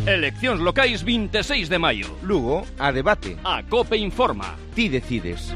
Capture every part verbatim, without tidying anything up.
Eleccións locais vinte e seis de maio. Lugo, a debate. A COPE informa. Ti decides.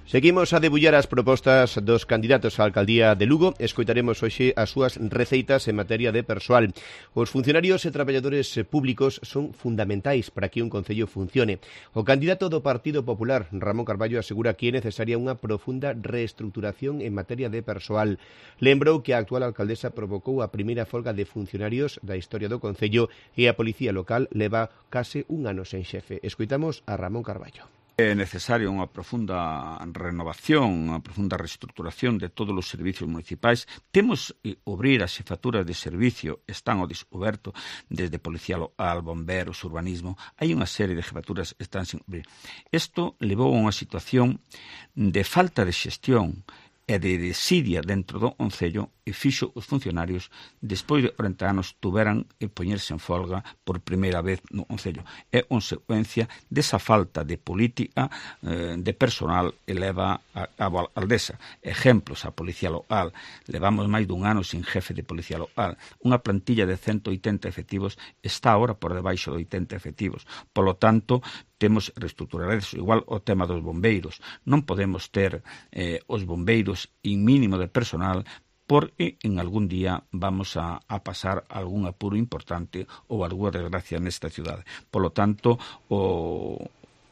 Seguimos a debullar as propostas dos candidatos á alcaldía de Lugo. Escoitaremos hoxe as súas receitas en materia de persoal. Os funcionarios e traballadores públicos son fundamentais para que un concello funcione. O candidato do Partido Popular, Ramón Carballo, asegura que é necesaria unha profunda reestruturación en materia de persoal. Lembrou que a actual alcaldesa provocou a primeira folga de funcionarios da historia do concello e a policía local leva case un ano sen xefe. Escoitamos a Ramón Carballo. É necesaria unha profunda renovación, unha profunda reestruturación de todos os servicios municipais. Temos que abrir as xefaturas de servicio, están ao descoberto, desde policía local, bomberos, urbanismo. Hai unha serie de xefaturas que están sin abrir. Isto levou a unha situación de falta de xestión e de desidia dentro do concello e fixo os funcionarios, despois de corenta anos, tuveran que poñerse en folga por primeira vez no concello. É consecuencia desa falta de política eh, de personal que leva a cabo a aldesa. Exemplos, a policía local. Levamos máis dun ano sin jefe de policía local. Unha plantilla de ciento oitenta efectivos está agora por debaixo de oitenta efectivos. Polo tanto, temos reestruturar eso. Igual o tema dos bombeiros. Non podemos ter eh, os bombeiros en mínimo de personal porque en algún día vamos a, a pasar algún apuro importante ou algunha desgracia nesta cidade. Polo tanto, o,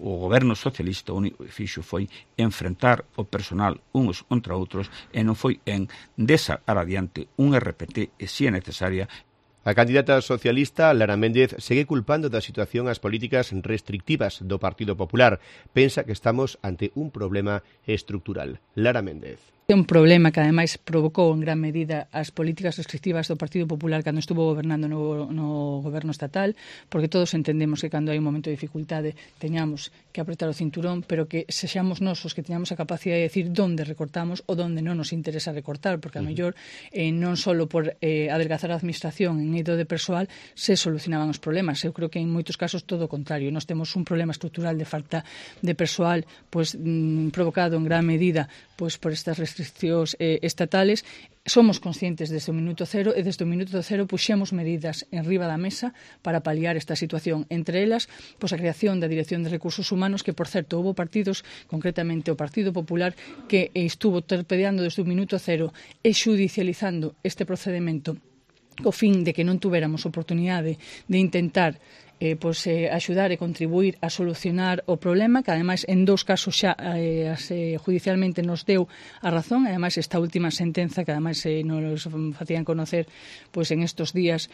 o goberno socialista o único que fixo foi enfrentar o personal uns contra outros e non foi en desacar adiante un R P T e si é necesaria. A candidata socialista, Lara Méndez, segue culpando da situación as políticas restrictivas do Partido Popular. Pensa que estamos ante un problema estructural. Lara Méndez. É un problema que ademais provocou en gran medida as políticas restrictivas do Partido Popular cando estuvo gobernando no, no goberno estatal, porque todos entendemos que cando hai un momento de dificultade teñamos que apretar o cinturón, pero que sexamos nós os que teñamos a capacidade de decir onde recortamos ou onde non nos interesa recortar, porque a mellor eh, non só por eh, adelgazar a administración en eido de persoal se solucionaban os problemas. Eu creo que en moitos casos todo o contrario. Nós temos un problema estrutural de falta de persoal pues, mm, provocado en gran medida pues, por estas restriccións restriccións eh, estatales. Somos conscientes desde o minuto cero e desde o minuto cero puxemos medidas en riba da mesa para paliar esta situación. Entre elas, pois a creación da Dirección de Recursos Humanos, que, por certo, houve partidos, concretamente o Partido Popular, que estuvo torpedeando desde o minuto cero e xudicializando este procedimento co fin de que non tuéramos oportunidade de intentar Eh, pois, eh, axudar e contribuir a solucionar o problema, que ademais en dous casos xa eh, eh, judicialmente nos deu a razón, e ademais esta última sentenza que ademais eh, nos facían conocer pois, en estos días.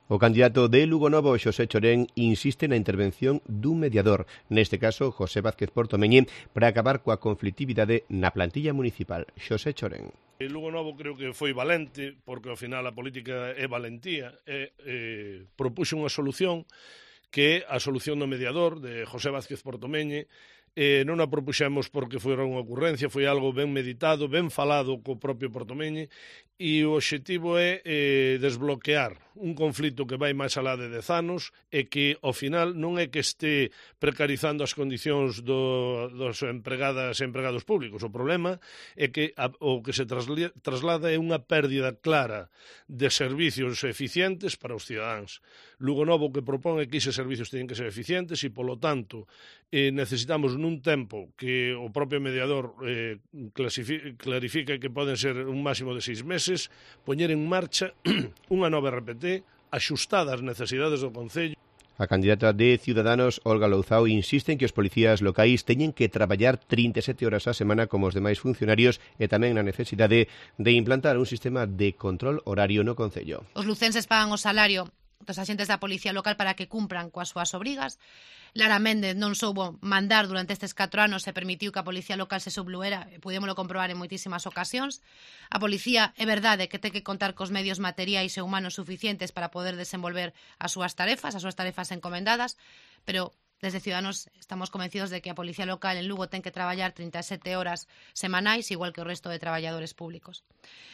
O candidato de Lugo Novo, Xosé Chorén, insiste na intervención dun mediador, neste caso José Vázquez Portomeñe, para acabar coa conflitividade na plantilla municipal. Xosé Chorén. E Lugo Novo creo que foi valente, porque ao final a política é valentía, e eh, propuxo unha solución que é a solución do mediador de José Vázquez Portomeñe. Eh, non a propuxemos porque foi unha ocurrencia, foi algo ben meditado, ben falado co propio Portomeñe, e o obxectivo é eh, desbloquear un conflito que vai máis alá de dez anos e que, ao final, non é que este precarizando as condicións do, dos empregadas e empregados públicos. O problema é que a, o que se trasli, traslada é unha pérdida clara de servicios eficientes para os cidadáns. Lugo Novo que propón é que eses servicios teñen que ser eficientes e, polo tanto, eh, necesitamos nun tempo que o propio mediador eh, clarifica que poden ser un máximo de seis meses, poñer en marcha unha nova R P T axustada ás necesidades do Concello. A candidata de Ciudadanos, Olga Louzao, insiste en que os policías locais teñen que traballar trinta e sete horas á semana como os demais funcionarios e tamén na necesidade de implantar un sistema de control horario no Concello. Os lucenses pagan o salario dos axentes da policía local para que cumpran coas súas obrigas. Lara Méndez non soubo mandar durante estes catro anos e permitiu que a policía local se subluera, e pudémolo comprobar en moitísimas ocasións. A policía é verdade que ten que contar cos medios materiais e humanos suficientes para poder desenvolver as súas tarefas, as súas tarefas encomendadas, pero desde Ciudadanos estamos convencidos de que a policía local en Lugo ten que traballar trinta e sete horas semanais, igual que o resto de traballadores públicos.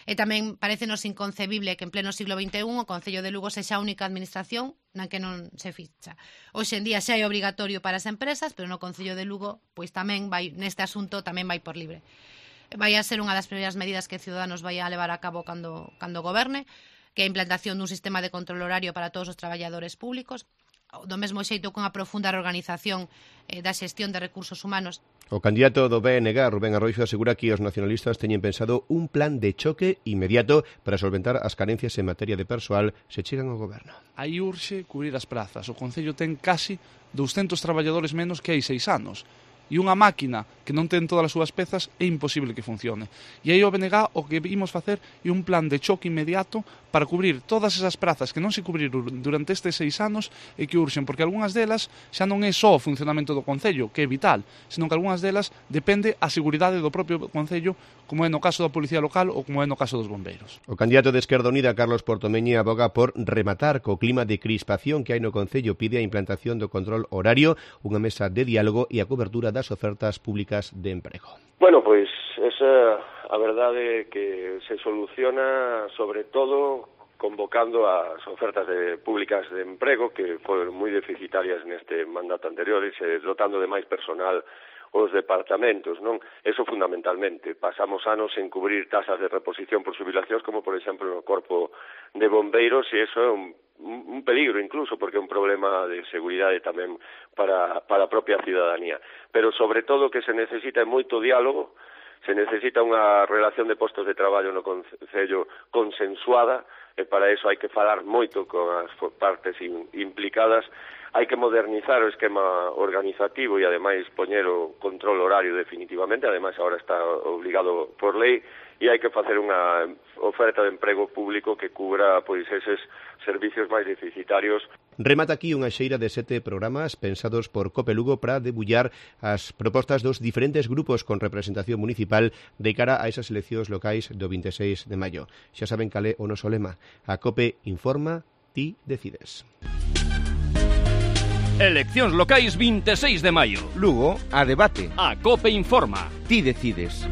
E tamén parecenos inconcebible que en pleno siglo vinte e un o Concello de Lugo sexa a única administración na que non se ficha. Hoxe en día xa é obrigatorio para as empresas, pero no Concello de Lugo pois tamén vai, neste asunto tamén vai por libre. Vai a ser unha das primeiras medidas que Ciudadanos vai a levar a cabo cando, cando goberne. que é a implantación dun sistema de control horario para todos os traballadores públicos, do mesmo xeito con a profunda reorganización eh, da xestión de recursos humanos. O candidato do B N G, Rubén Arroixo, asegura que os nacionalistas teñen pensado un plan de choque inmediato para solventar as carencias en materia de persoal se chegan ao goberno. Aí urxe cubrir as prazas. O Concello ten casi douscentos traballadores menos que hai seis anos. E unha máquina que non ten todas as súas pezas é imposible que funcione. E aí o B N G o que imos facer é un plan de choque inmediato para cubrir todas esas prazas que non se cubriron durante estes seis anos e que urxen, porque algunhas delas xa non é só o funcionamento do Concello, que é vital, senón que algunhas delas depende a seguridade do propio Concello, como é no caso da Policía Local ou como é no caso dos bombeiros. O candidato de Esquerda Unida, Carlos Portomeñi, aboga por rematar co clima de crispación que hai no Concello, pide a implantación do control horario, unha mesa de diálogo e a cobertura das ofertas públicas de emprego. Bueno, pois esa a verdade que se soluciona sobre todo convocando as ofertas de, públicas de emprego que foron moi deficitarias neste mandato anterior e se dotando de máis personal os departamentos, non? Eso fundamentalmente. Pasamos anos en cubrir tasas de reposición por xubilacións, como por exemplo no corpo de bombeiros, e eso é un, un peligro incluso, porque é un problema de seguridade tamén para, para a propia ciudadanía. Pero sobre todo que se necesita moito diálogo, se necesita unha relación de postos de traballo no Concello consensuada, e para iso hai que falar moito con as partes implicadas. Hai que modernizar o esquema organizativo e, ademais, poñer o control horario definitivamente. Ademais, agora está obligado por lei, e hai que facer unha oferta de emprego público que cubra pois eses servicios máis deficitarios. Remata aquí unha xeira de sete programas pensados por Cope Lugo para debullar as propostas dos diferentes grupos con representación municipal de cara a esas eleccións locais do vinte e seis de maio. Xa saben cal é o noso lema. A Cope informa, ti decides. Eleccións locais vinte e seis de maio. Lugo, a debate. A Cope informa. Ti decides.